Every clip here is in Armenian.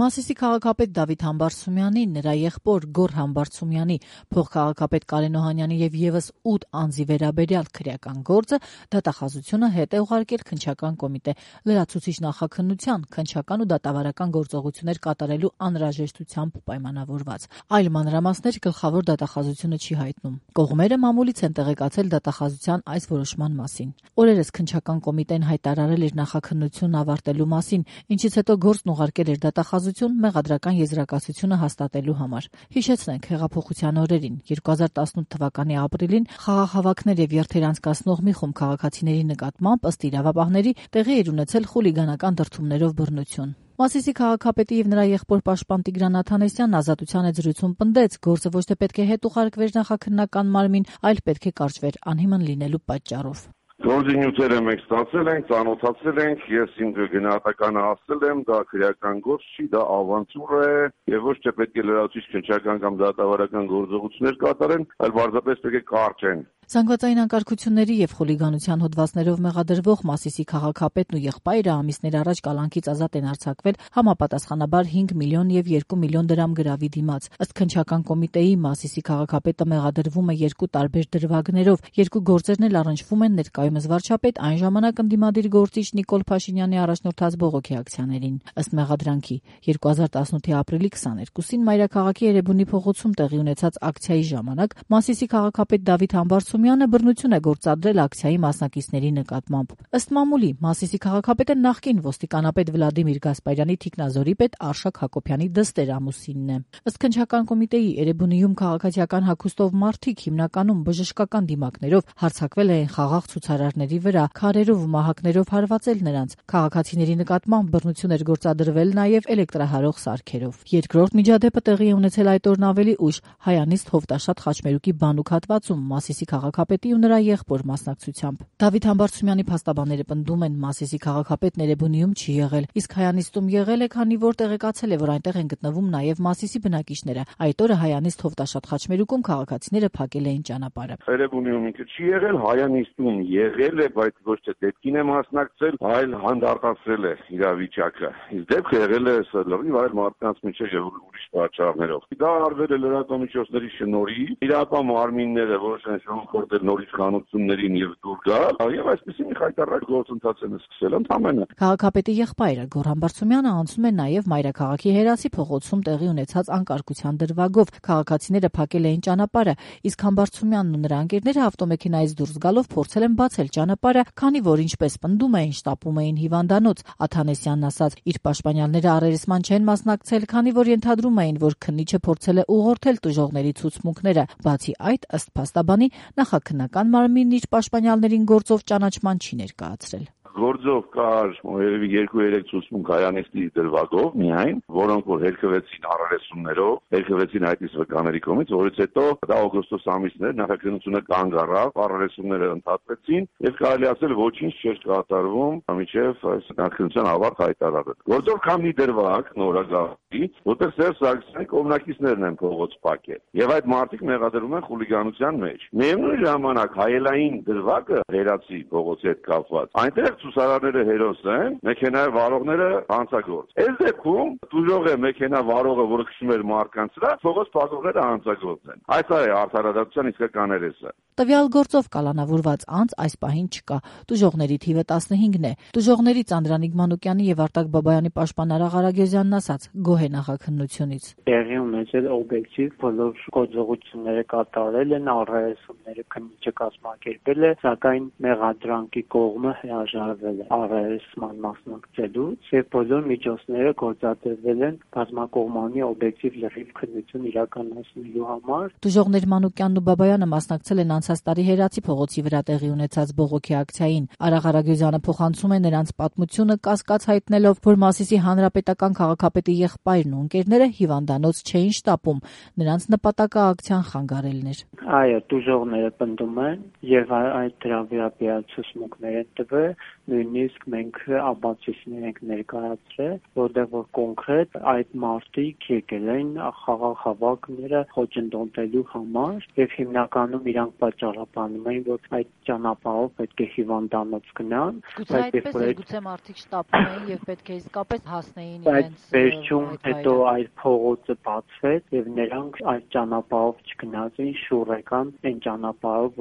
Մասիսի քաղաքապետ Դավիթ Համբարձումյանի, նրա եղբոր Գոռ Համբարձումյանի, փոխքաղաքապետ Կարեն Օհանյանի եւ եւս 8 անձի վերաբերյալ քրեական գործը դատախազությունը հետ է ուղարկել քննչական կոմիտե լրացուցիչ նախաքննության քննչական ու դատավարական գործողություններ կատարելու անհրաժեշտությամբ պայմանավորված։ Այլ մանրամասներ գլխավոր դատախազությունը չի հայտնում։ Կողմերը մամուլից են տեղեկացել դատախազության այս որոշման մասին։ Օրերս քննչական կոմիտեն հայտարարել էր նախաքննությունն ավարտելու մասին, ինչից հետո գործն ուղարկել էր դատախազություն մեղադրական եզրակացությունը հաստատելու համար։ Հիշեցնենք, հեղափոխության օրերին 2018 թվականի ապրիլին խաղաղհավաքներ եւ երթեր անցկացնող մի խումբ քաղաքացիների նկատմամբ ըստ իրավաբանների տեղի էր ունեցել խուլիգանական դրդումներով բռնություն։ Մասիսի քաղաքապետի եւ նրա եղբոր պաշտպան Տիգրան Աթանեսյանն Ազատության եզրույցում պնդեց, գործը ոչ թե պետք է հետ ուղարկվեր նախաքննական մարմին, այլ պետք է կարճվեր անհիմն լինելու պատճառով։ Գործի նյութերը մենք ստացել ենք, ծանոթացել ենք, ես իմ գնահատականը ասել եմ, դա քրեական գործ չի, դա ավանտյուր է եւ ոչ թե պետք է լրացուցիչ քննչական կամ դատավարական գործողություններ կատարեն, այլ պարզապես պետք է կարճեն։ Զանգվածային անկարգությունների եւ խուլիգանության հոդվածներով մեղադրվող Մասիսի քաղաքապետն ու եղբայրը ամիսներ առաջ կալանքից ազատ են արձակվել համապատասխանաբար 5 միլիոն եւ 2 միլիոն դրամ գրավի դիմաց։ Ըստ քննչական կոմիտեի Մասիսի քաղաքապետը մեղադրվում է 2 տարբեր դրվագներով, 2 գործերն էլ առնչվում են ներկայումս վարչապետ այն ժամանակ ընդդիմադիր գործիչ Նիկոլ Փաշինյանի առաջնորդած բողոքի ակցիաներին։ Ըստ մեղադրանքի 2018-ի ապրիլի 22-ին Մայրաքաղաքի Երևանի փողոցում տեղի ունեցած ակցիայի ժամանակ Մասիսի քաղաքապետ Դավիթ Համբարձումյանը բռնություն է գործադրել ակցիայի մասնակիցների նկատմամբ։ Ըստ մամուլի Մասիսի քաղաքապետը նախկին ոստիկանապետ Վլադիմիր Գասպարյանի թիկնազորի պետ Արշակ Հակոբյանի դստեր ամուսինն է։ Ըստ քննչական կոմիտեի Երևանիում քաղաքացիական հագուստով մարդիկ հիմնականում բժշկական դիմակներով հարձակվել են խաղաղ ցուցարարների վրա, քարերով ու մահակներով հարվածել նրանց։ Քաղաքացիների նկատմամբ բռնություն էր գործադրվել նաև էլեկտրահարող սարքերով։ Երկրորդ միջադեպը տեղի է ունեցել այդ օրն ավելի ուշ Հայանիստ Հովտաշատ Խաչմերուկի բանուկ հատվածում Մասիսի քաղաքապետի ու նրա եղբոր մասնակցությամբ։ Դավիթ Համբարձումյանի փաստաբանները պնդում են Մասիսի քաղաքապետն Երևանիում չի եղել, իսկ Հայանիստում եղել է, քանի որ տեղեկացել է, որ այնտեղ են գտնվում նաև Մասիսի բնակիչները։ Այդ օրը Հայանիստ Հովտաշատ Խաչմերուկում քաղաքացիները փակել էին ճանապարհը։ Երևանիում ինքը չի եղել, Հայանիստում եղել է, բայց ոչ թե դեպքին է մասնակցել, այլ հանդարտացրել է իրավիճակը։ Իսկ դեպքը եղել է լրիվ այլ մարդկանց միջև եւ ուրիշ պատճառներով։ Դա արվել է լրատվամիջոցների շնորհիվ, իրական մարմինները որոշ են շնորհել նորից կանոնություններին եւ դուր գալ, եւ այսպեսի մի խայտառակ գործընթաց են սկսել ընդամենը։ Քաղաքապետի եղբայրը Գոռ Համբարձումյանը անցնում է նաեւ Մայրաքաղաքի Հերասի փողոցում տեղի ունեցած անկարգության դրվագով։ Քաղաքացիները փակել էին ճանապարհը, իսկ Համբարձումյանն ու նրա ընկերները ավտոմեքենայից դուրս գալով փորձել են բացել ճանապարհը, քանի որ ինչպես պնդում էին, շտապում էին հիվանդանոց։ Աթանեսյանն ասաց, իր պաշտպանյալները առերեսման չեն մասնակցել, քանի որ ենթադրում էին, որ քննիչը փորձել է ուղղորդել տուժողների ցուցմունքները։ Բացի այդ, ըստ փաստաբանի, նախաքննական մարմինն իր պաշտպանյալներին գործով ճանաչման չի ներկայացրել։ Գործով կար երևի 2-3 ցուցմունք Հայանիստի դրվագով միայն, որոնք որ հերքվեցին առերեսումներով, հերքվեցին այդպես վկաների կողմից, որից հետո դա օգոստոս ամիսն էր, նախաքննությունը կանգ առավ, առերեսումները ընդհատվեցին եւ կարելի ասել ոչինչ չէր կատարվում, մինչեւ այս նախաքննության ավարտ հայտարարել։ Գործով կա մի դրվագ նորագահի, որտեղ Սերժ Սարգսյանի կողմնակիցներն են փողոց փակել եւ այդ մարդիկ մեղադրվում են խուլիգանության մեջ։ Միևնույն ժամանակ հայելային դրվագը Հերացի փողոցի հետ կապված այնտեղ ցուսարարները հերոս են, մեքենայի վարողները հանցագործ։ Այս դեպքում դժող է մեքենա վարողը, որը քշում էր մարդկանց վրա, փողոց փակողները հանցագործ են։ Այս է արդարադատության իսկական երեսը։ Տվյալ գործով կալանավորված անձ այս պահին չկա։ Տուժողների թիվը 15-ն է։ Տուժողներից Անդրանիկ Մանուկյանի եւ Արտակ Բաբայանի պաշտպան Արա Ղարագյուզյանն ասաց՝ գոհ է նախաքննությունից։ Տեղի ունեցել օբյեկտիվ բոլոր գործողությունները կատարել են, առերեսումները քննիչը կազմակերպել է, սակայն մեղադրանքի կողմը հրաժարվել է առերեսման մասնակցելուց եւ բոլոր միջոցները գործադրվել են բազմակողմանի օբյեկտիվ լրիվ քննություն իրականացնելու համար։ Տուժողներ Մանուկյանն ու Բաբայանը մասնակցել են անցած տարի Հերացի փողոցի վրա տեղի ունեցած բողոքի ակցիային։ Արա Ղարագյուզյանը փոխանցում է նրանց պատմությունը, կասկած հայտնելով, որ Մասիսի հանրապետական քաղաքապետի եղբայրն ու ընկերները հիվանդանոց չէին շտապում։ Նրանց նպատակը ակցիան խանգարելն էր։ Այո, տուժողները պնդում են եւ այդ դրա վերաբերյալ ցուցմունքներ են տվել, նույնիսկ մենք ապացույցներ ենք ներկայացրել, որտեղ որ կոնկրետ այդ մարդիկ եկել են խաղաղ հավաքները խոչընդոտելու համար եւ հիմնականում իրանք պատճառաբանում էին, որ այդ ճանապարհով պետք է հիվանդանոց գնան, գուցե մարդիկ շտապում էին եւ պետք է իսկապես հասնեին իրենց վերջում հետո այդ փողոցը բացվեց եւ նրանք այդ ճանապարհով չգնացին, շուռ եկան այն ճանապարհով,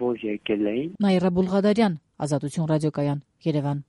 որ եկել էին։ Նաիրա Բուլղադարյան, Ազատություն ռադիոկայան, Երևան։